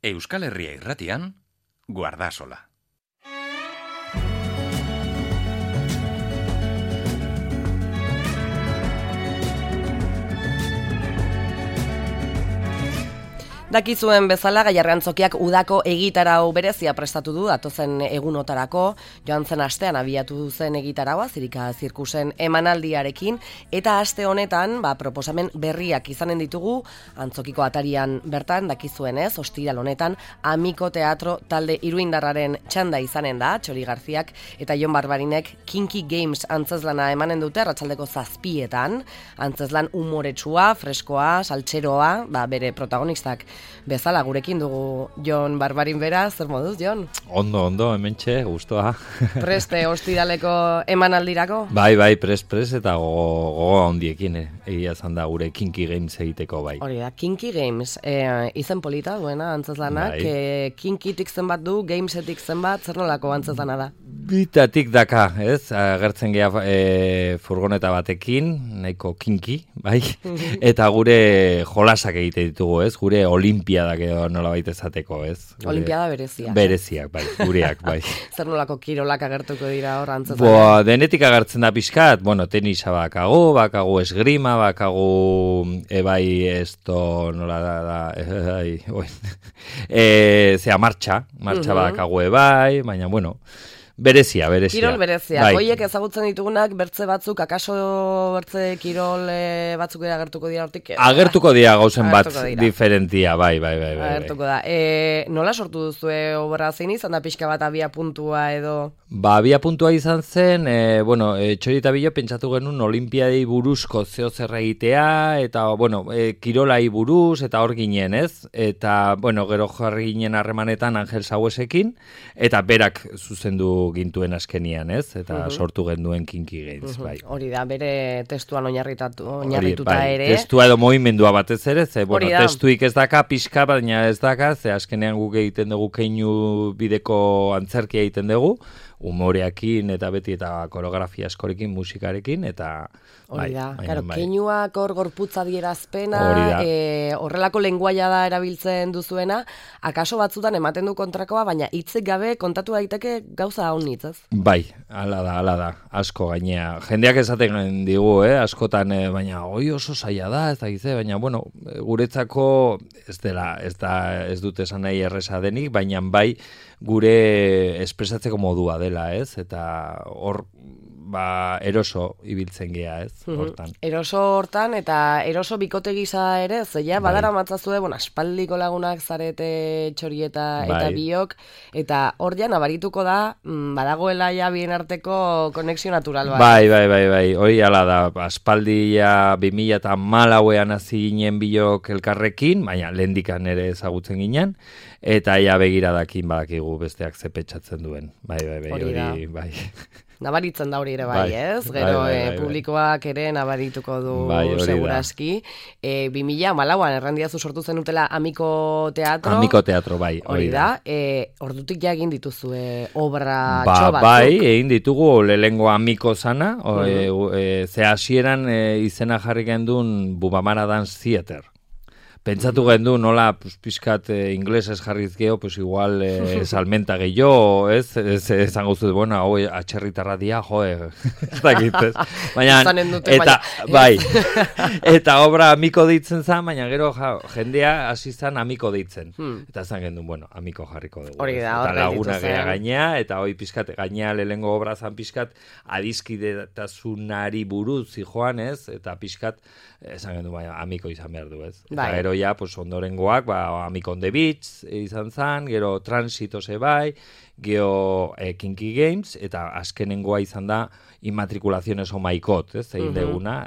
Euskal Herria Irratian, Guardasola. Dakizuen bezala Gaiarrantzokiak udako egitarau berezia prestatu du datozen egunotarako, joan zen astean abiatu zen egitaraua Zirika zirkusen emanaldiarekin, eta aste honetan proposamen berriak izanen ditugu Antzokiko atarian bertan, dakizuenez, ostiral honetan Amiko Teatro talde iruindarraren txanda izanen da, Txori Garziak eta Jon Barbarinek Kinky Games antzezlana emanen dute arratsaldeko 7:00, antzezlan umoretsua, freskoa, saltxeroa, bere protagonistak bezala gurekin dugu Jon Barbarin bera, zer moduz, Jon? Ondo, hementxe, gustoa. Preste ostiraleko emanaldirako? Bai, pres, eta gogo handiekin, egia zan da gure Kinky Games egiteko, bai. Hori da, Kinky Games, izen polita duena antzezlanak, kinkitik zenbat du, gamesetik zenbat, zer nolako antzezlana da? Bitatik daka, ez? Agertzen gea furgoneta batekin, nahiko kinky, bai? Eta gure jolasak egite ditugu, ez? Gure olimpiadak edo nolabait esateko, ez? Olimpiada bereziak. Bereziak, bai, gureak, bai. Zer nolako kirolak agertuko dira hor antzezlanak? Denetik agertzen da pixkat, tenisa bakagu esgrima, bakagu, esto nola da, martxa bakagu baina, berezia. Kirol berezia. Bai. Hoiek ezagutzen ditugunak bertze batzuk, akaso bertze kirol batzuk agertuko dira hortik? Agertuko dira gauzen bat diferentia, bai. Agertuko da. Nola sortu duzue obra zein izan da pixka bat abia puntua edo? Abia puntua izan zen, Txori eta Bilo pentsatu genuen olimpiadei buruzko zeo zer egitea, eta, kirolai buruz, eta hor ginen, ez? Eta, gero jarri ginen harremanetan Angel Sauesekin, eta berak zuzendu gintuen askenian, ez? Eta sortu genduen Kinky Games, bai. Hori da, bere testuan oinarrituta ere. Testua edo movimendua batez ere, testuik ez daka, pixka, baina ez daka, ze askenean guk egiten dugu keinu bideko antzerkia egiten dugu, humoreakin eta beti eta koreografia askorekin, musikarekin, eta... Hori da, keinuak hor gorputza dierazpena, horrelako lenguaia da erabiltzen duzuena, akaso batzutan ematen du kontrakoa, baina hitzik gabe kontatu daiteke gauza haunitz, ez? Bai, hala da, asko gainea. Jendeak esaten digu, askotan, baina oso zaila da, ez da gize, baina, guretzako ez dut esan nahi erresa denik, baina bai gure espresatzeko modua dela, ez? Eta hor, eroso ibiltzen gea, ez? Hortan. Eroso hortan, eta eroso bikote gisa ere, zeia, badara matzazue, aspaldiko lagunak zarete Txori eta Biok, eta hor ja nabarituko da, badagoela ja bien arteko konexio natural bat. Bai, hori ala da, aspaldia 2014ean hasi ginen Biok elkarrekin, baina lehendikan ere ezagutzen ginen, eta ja begiradakin badakigu besteak zepetxatzen duen. Bai. Nabaritzen da hori ere bai, ez? Gero publikoak ere nabarituko du seguraski. 2014an errandiazu sortu zenutela Amiko Teatro. Amiko Teatro, bai. Hori da. Ordutik ja egin dituzue obra txobatzuk. Bai, egin ditugu lehengo Amiko zana. Ze hasieran izena jarri gendun Bumamara Dance Theater. Pentsatu gendu nola pixkat inglesez jarriz geho, igual salmenta gehiago, ez? Esan gauzut, hau atxerritarra dia, ez dakit, ez? Baina, eta obra Amiko deitzen zen, baina gero jendea hasi zen Amiko deitzen. Eta esan gendu, Amiko jarriko dugu. Eta laguna gea gainea, eta hoi pixkat gainea lehengo obra zan pixkat adiskidetasunari buruz zijoan, ez? Eta pixkat, esan gendu, Amiko izan behar du, ez? Eta gero ja, ondorengoak, Amiko on the Beach izan zan, gero Transito bai, gero Kinky Games, eta azkenengoa izan da Immatriculaciones o Maikot, ez? Egin deguna,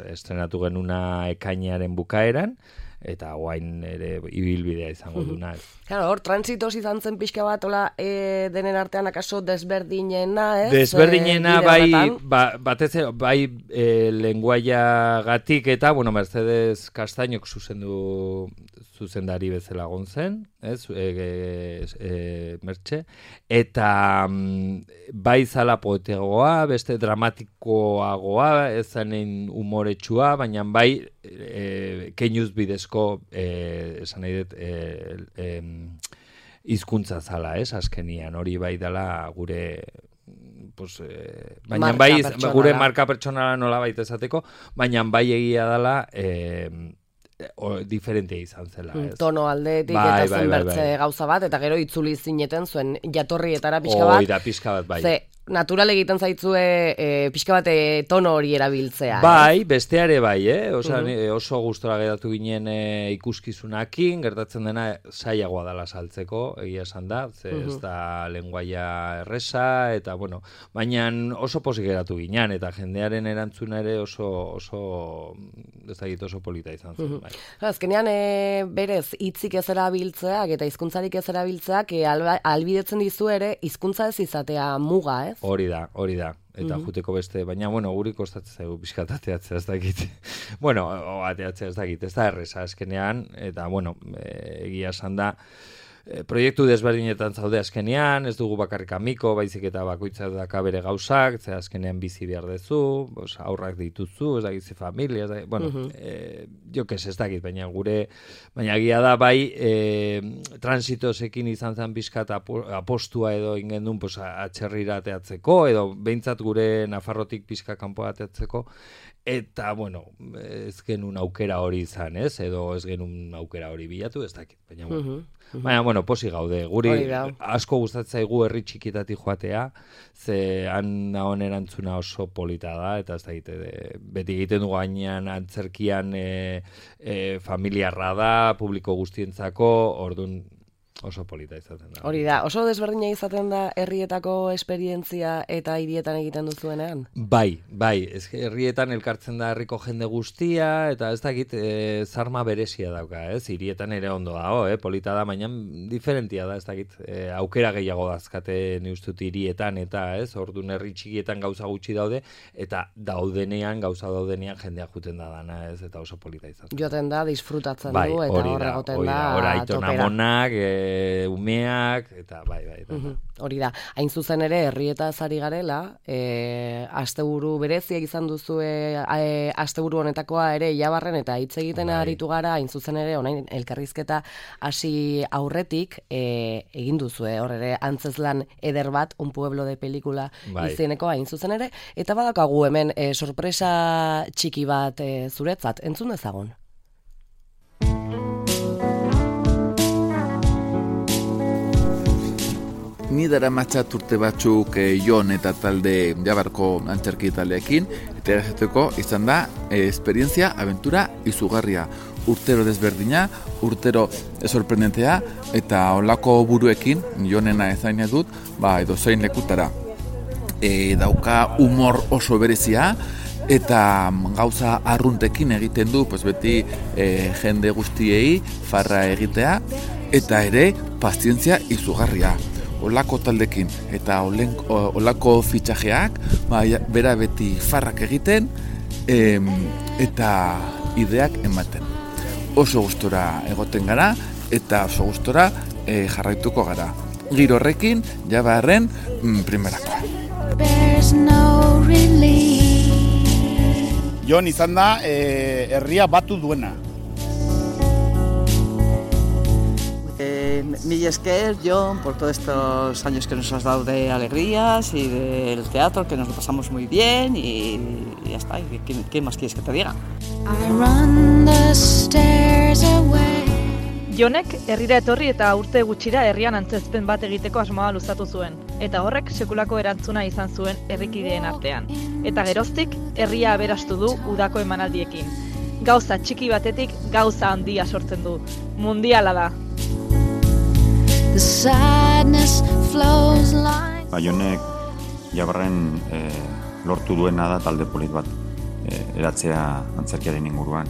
estrenatu genuna ekainearen bukaeran, eta guain ere ibilbidea izango duna. Claro, hor, transitos izan zen pixka bat, denen artean akaso desberdinena, ez? Desberdinena, batez bai lenguaia gatik eta, Mercedes Castañok zuzendari bezala gontzen, ez? Mertxe, eta bai zala poetegoa, beste dramatikoagoa, ez zanen humoretsua, baina bai keinuz bidezko, esan nahi dut, hizkuntza zala, ez, azkenian, hori bai dela gure baina bai gure marka pertsonala nola baita esateko, baina bai egia dela diferentea izan zela, ez? Tono aldetik eta zen bertze gauza bat, eta gero itzuli zineten zuen jatorrietara pixka bat. Da pixka bat, bai. Ze, natural egiten zaitzue pixka bat tono hori erabiltzea. Bai, besteare bai, oso gustora geratu ginen ikuskizunakin, gertatzen dena zailagoa dela saltzeko, egia esan da, ze ez da lenguaia erresa, eta baina oso pozik geratu ginen, eta jendearen erantzuna ere oso polita izan zen. Bai. Azkenean berez hitzik ez erabiltzeak eta hizkuntzarik ez erabiltzeak albidetzen dizu ere hizkuntza ez izatea muga, ez? Hori da. Eta juteko beste, baina, guri kostatzen zaigu pixkat ateatzea ez dakit. Ateatzea ez dakit, ez da erresa azkenean, eta, egia esan da, proiektu desberdinetan zaude azkenean, ez dugu bakarrik amiko, baizik eta bakoitza daka bere gauzak, ze azkenean bizi behar dezu, aurrak dituzu, ez dakitzi familia, jokes ez dakit, baina egia da bai, transitosekin izan zen bizkat apostua edo ingendun atxerrira ateatzeko, edo behintzat gure Nafarrotik pixka kanpoa ateatzeko, eta, ez genuen aukera hori izan, ez? Edo ez genuen aukera hori bilatu, ez dakit, baina, posi gaude. Guri asko gustatzen zaigu herri txikitatik joatea, ze han nahoen erantzuna oso polita da, eta ez dakit, beti egiten dugu gainean antzerkian familiarra da, publiko guztientzako, orduan oso polita izaten da. Hori da, oso desberdina izaten da herrietako esperientzia eta hirietan egiten duzuenean? Bai, herrietan elkartzen da herriko jende guztia, eta ez dakit zarma berezia dauka, ez? Hirietan ere ondo dago, polita da, baina diferentia da, ez dakit, aukera gehiago dazkate neustut hirietan, eta ez, orduan herri txikietan gauza gutxi daude, eta gauza daudenean jendea juten da dana, ez, eta oso polita izaten. Joten da, disfrutatzen du, eta hor egoten da, aitonamonak, umeak, eta bai. Hori da, hain zuzen ere herrietaz ari garela, asteburu bereziak izan duzue asteburu honetakoa ere Jabarren, eta hitz egiten aritu gara, hain zuzen ere orain elkarrizketa hasi aurretik egin duzue, hor ere antzezlan eder bat, Un pueblo de película izeneko hain zuzen ere, eta badakagu hemen sorpresa txiki bat zuretzat, entzun dezagun. Ni dara matxat urte batzuk Jon eta talde Jabarko antzerki taldeekin, eta erazateko izan da esperientzia, aventura izugarria. Urtero desberdina, urtero sorprendentea, eta olako buruekin, Jonena ezaina dut, edo zein lekutara. Dauka humor oso berezia, eta gauza arruntekin egiten du, beti jende guztiei farra egitea, eta ere pazientzia izugarria. Olako taldekin eta olako fitxajeak, bera beti farrak egiten eta ideak ematen. Oso gustora egoten gara eta oso gustora jarraituko gara. Giro horrekin, Jabarren primerakoa. Jon izan da herria batu duena. Mil esker, Jon, por todos estos años que nos has dado de alegrías y del teatro, que nos lo pasamos muy bien y ya está. ¿Qué más quieres que te diga? Jonek herrira etorri eta urte gutxira herrian antzezpen bat egiteko asmoa luzatu zuen, eta horrek sekulako erantzuna izan zuen herrikideen artean. Eta geroztik, herria aberastu du udako emanaldiekin. Gauza txiki batetik gauza handia sortzen du. Mundiala da. Jonek Jabarren lortu duena da talde polit bat eratzea antzerkiaren inguruan.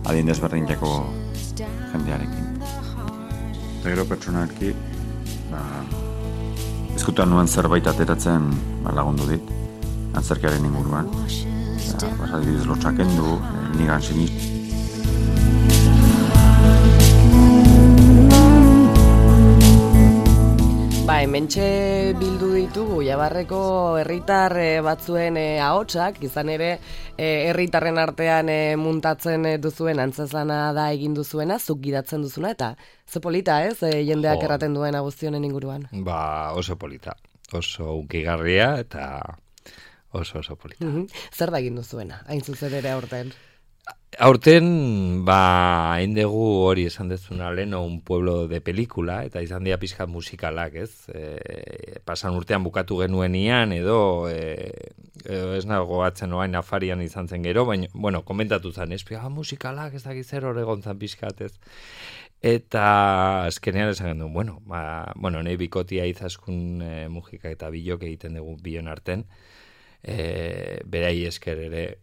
Adin desberdineko jendearekin. Eta gero pertsonalki, ezkutan nuen zerbait ateratzen lagundu dit, antzerkiaren inguruan. Adibidez lotxakendu, nigan sinist. Hementxe bildu ditugu Jabarreko herritar batzuen ahotsak, izan ere herritarren artean muntatzen duzuen antzezlana da egin duzuena, zuk gidatzen duzuna, eta ze polita, ez? Jendeak erraten duen guztionen inguruan. Oso polita, oso unkigarria eta oso polita. Zer da egin duzuena, hain zuzen ere aurten? Aurten, hain dugu hori esan dezuna leno un pueblo de pelikula, eta izan dira pixkat musikalak, ez? Pasan urtean bukatu genuenian, edo ez nago atzen oain afarian izan zen gero, baina, bueno, komentatu zen, ez? Musikalak ez dakiz zer horregon zan pixkat, ez? Eta azkenean esan genuen, bueno, nahi bikotia izaskun mujika eta bilok egiten dugu bion arten, berai esker ere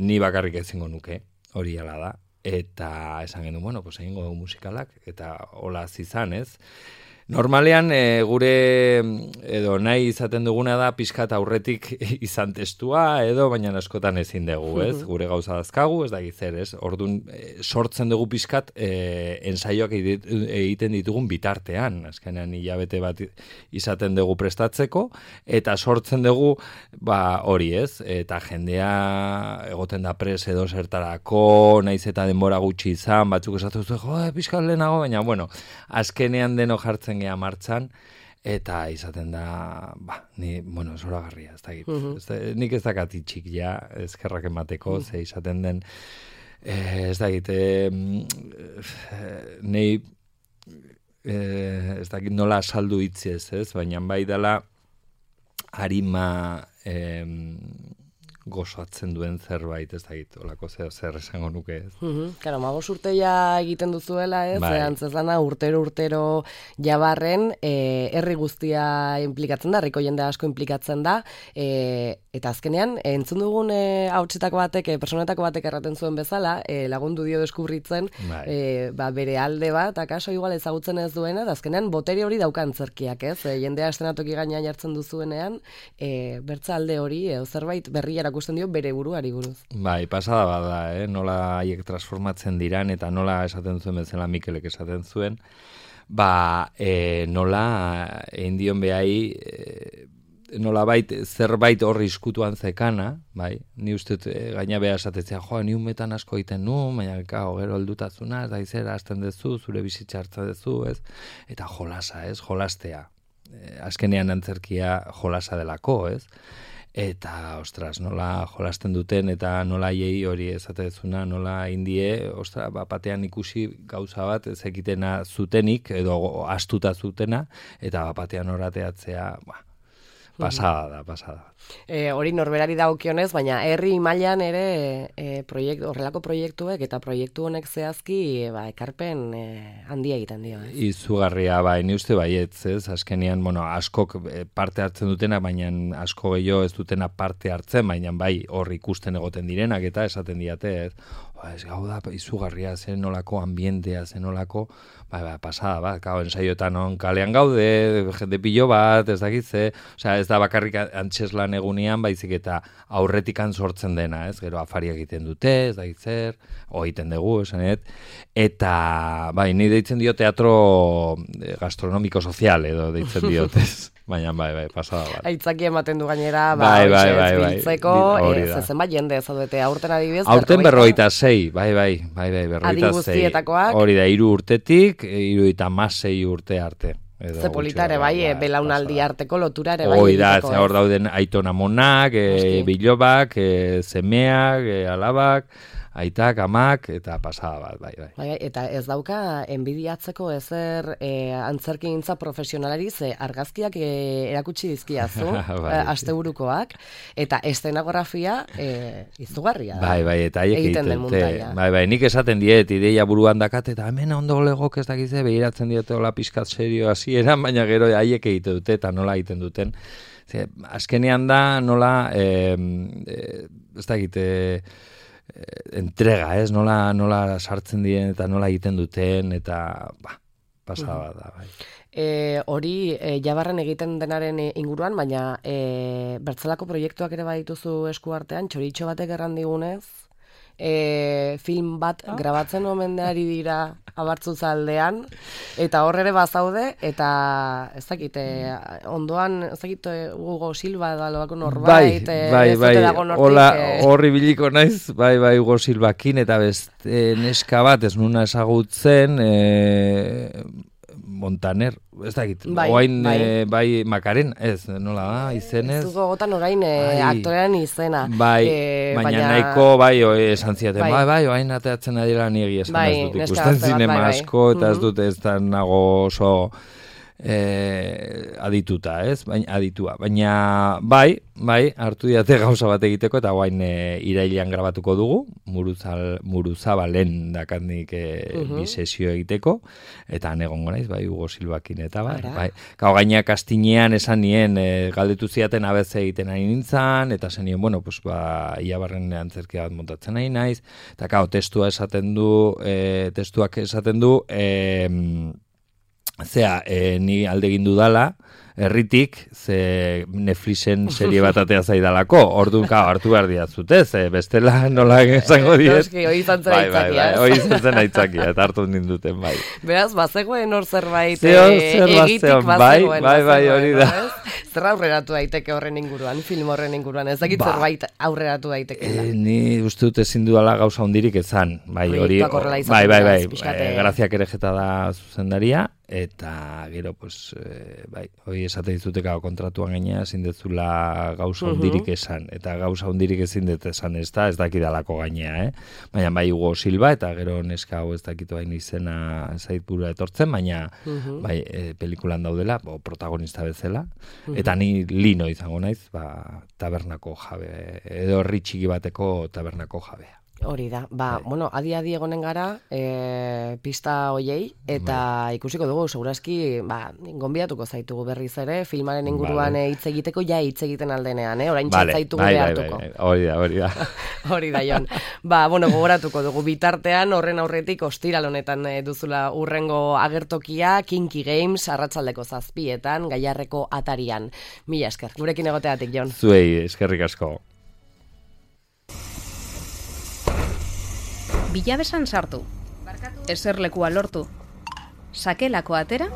ni bakarrik ezingo nuke, hori ala da, eta esan genuen, egingo dugu musikalak, eta hola zizan, ez? Normalean gure edo nahi izaten duguna da pixkat aurretik izan testua edo baina askotan ezin dugu, ez? Gure gauza dazkagu, ez da gizer, ez? Orduan sortzen dugu pixkat ensaioak egiten ditugun bitartean, azkenean hilabete bat izaten dugu prestatzeko eta sortzen dugu hori, ez? Eta jendea egoten da pres edo zertarako, naiz eta denbora gutxi izan, batzuk esatu zuen, pixkat lehenago, baina azkenean deno jartzen gea martxan, eta izaten da, zoragarria, ez dakit. Nik ez dakat itxik ja, ezkerrak emateko, ze izaten den, ez dakit, nei, ez dakit nola saldu itziez, ez? Baina bai dela harima gozoatzen duen zerbait, ez dakit, olako zer esango nuke, ez? Karo, 15 urte ja egiten duzuela, ez? Antzezlana urtero Jabarren, herri guztia implikatzen da, herriko jende asko implikatzen da, eta azkenean, entzun dugun hautsetako batek, personetako batek erraten zuen bezala, lagundu dio deskubritzen, bere alde bat, akaso igual ezagutzen ez duena, eta azkenean botere hori daukan zerkiak, ez? Jendea estenatoki gainean jartzen duzuenean, bertza alde hori, zerbait berria erakusten dio bere buruari buruz. Pasada bada, nola haiek transformatzen diran, eta nola esaten zuen bezala Mikelek esaten zuen, nola egin dion behai nolabait zerbait horri iskutuan zekana, ni uste gaina beha esatetzea, ni umetan asko egiten nu, baina gero heldutazuna, ez da izera hasten dezu, zure bizitza hartza dezu, ez? Eta jolasa, ez? Jolastea. Azkenean antzerkia jolasa delako, ez? Eta, ostras, nola jolasten duten, eta nola hiei hori ezatezuna, nola indie, ostras, batean ikusi gauza bat ezekitena zutenik, edo astuta zutena, eta batean horateatzea, pasada. Hori norberari dagokionez, baina herri mailan ere horrelako proiektuek eta proiektu honek zehazki ekarpen handia egiten dio. Izugarria, ni uste baietz, ez? Azkenean, askok parte hartzen dutena, baina asko gehiago ez dutena parte hartzen, baina hor ikusten egoten direnak eta esaten diate, ez? Ez gau da, izugarria, zen nolako ambientea, zen nolako, pasada, ensaioetan kalean gaude, jende pilo bat, ez dakitze, ez da bakarrik antzeslan egunean, baizik eta aurretikan sortzen dena, ez, gero afaria egiten dute, ez dakitzer, egiten dugu, esanet, eta, ni deitzen dio teatro gastronomiko sozial, edo deitzen diotez. Baina, pasada bat. Aitzaki ematen du gainera, biltzeko, zenbat jende zaudete, aurten adibidez? Aurten 46, berroita adi guztietakoak? Hori da, 3 urtetik, 36 urte arte. Ze politare, belaunaldi arteko lotura ere bai. Hoi da, hor dauden aiton amonak, bilobak, semeak, alabak, aitak, amak, eta pasada bat, Eta ez dauka enbidiatzeko ezer antzerkigintza profesionalari, ze argazkiak erakutsi dizkiazu, asteburukoak, eta eszenografia izugarria da. Eta haiek egiten dute. Nik esaten diet, ideia buruan dakat, eta hemen ondo legok ez dakize, behiratzen diote hola pizkat serio hasieran, baina gero haiek egiten dute, eta nola egiten duten. Azkenean da, nola, ez dakite, entrega, ez? Nola sartzen diren eta nola egiten duten, eta pasada da, bai. Hori Jabarren egiten denaren inguruan, baina bertzelako proiektuak ere badituzu eskuartean, txoritxo batek erran digunez, film bat grabatzen omendeari dira Abartzuzaldean, eta hor ere bazaude, eta ez dakit, ondoan, ez dakit, Hugo Silva da lobako norbait, horri biliko naiz, Hugo Silvakin, eta beste neska bat, ez nuna ezagutzen, Montaner, ez dakit, oain Makaren, ez, nola da, izenez. Ez dugu gotan orain aktorean izena. Baina nahiko, esan ziaten, oain ateatzen adira niri esan ez dut ikusten zinema asko, eta ez dut ez da nago oso adituta, ez? Baina hartu diate gauza bat egiteko, eta guain irailean grabatuko dugu, Muruzabalen dakandik bi sesio egiteko, eta egongo naiz, Hugo Silvakin eta Gau gaina kastinean esan nien, galdetu ziaten ABC egiten ari nintzen, eta zen nien, Iabarren antzerkia bat montatzen ari naiz, eta testuak esaten du, ni alde egin dudala, herritik, ze Netflixen serie bat atea zaidalako, orduan hartu behar diatzute, bestela nola esango diet. Hoi izan zen aitzakia. Hoi izan zen aitzakia, eta hartu ninduten, Beraz, bazegoen hor zerbait egitik bazegoen. Hori da. Zer aurreratu daiteke horren inguruan, film horren inguruan, ez dakit zerbait aurreratu daiteke. Ni uste dut ezin dudala gauza hondirik ezan. Graziak ere jeta da zuzendaria, eta gero, hoi esate dizuteka kontratuan gaina ezin detzula gauza hondirik esan, eta gauza hondirik ezin dut esan ez dakidalako gainea, baina Hugo Silva, eta gero neska hau ez dakitu hain izena zaitburua etortzen, baina pelikulan daudela, protagonista bezala, eta ni lino izango naiz, tabernako jabe, edo herri txiki bateko tabernako jabea. Hori da, adi egonen gara pista hoiei, eta ikusiko dugu, segurazki, gonbidatuko zaitugu berriz ere, filmaren inguruan hitz egiteko, hitz egiten aldenean, orain txatzaitugu behartuko. Hori da. Hori da, Jon. Gogoratuko dugu, bitartean, horren aurretik, ostiral honetan duzula urrengo agertokia, Kinky Games, arratsaldeko 7:00, Gaiarreko atarian. Mila esker, gurekin egoteatik, Jon. Zuei, eskerrik asko. Bilabesan sartu, eserlekua lortu, sakelako atera,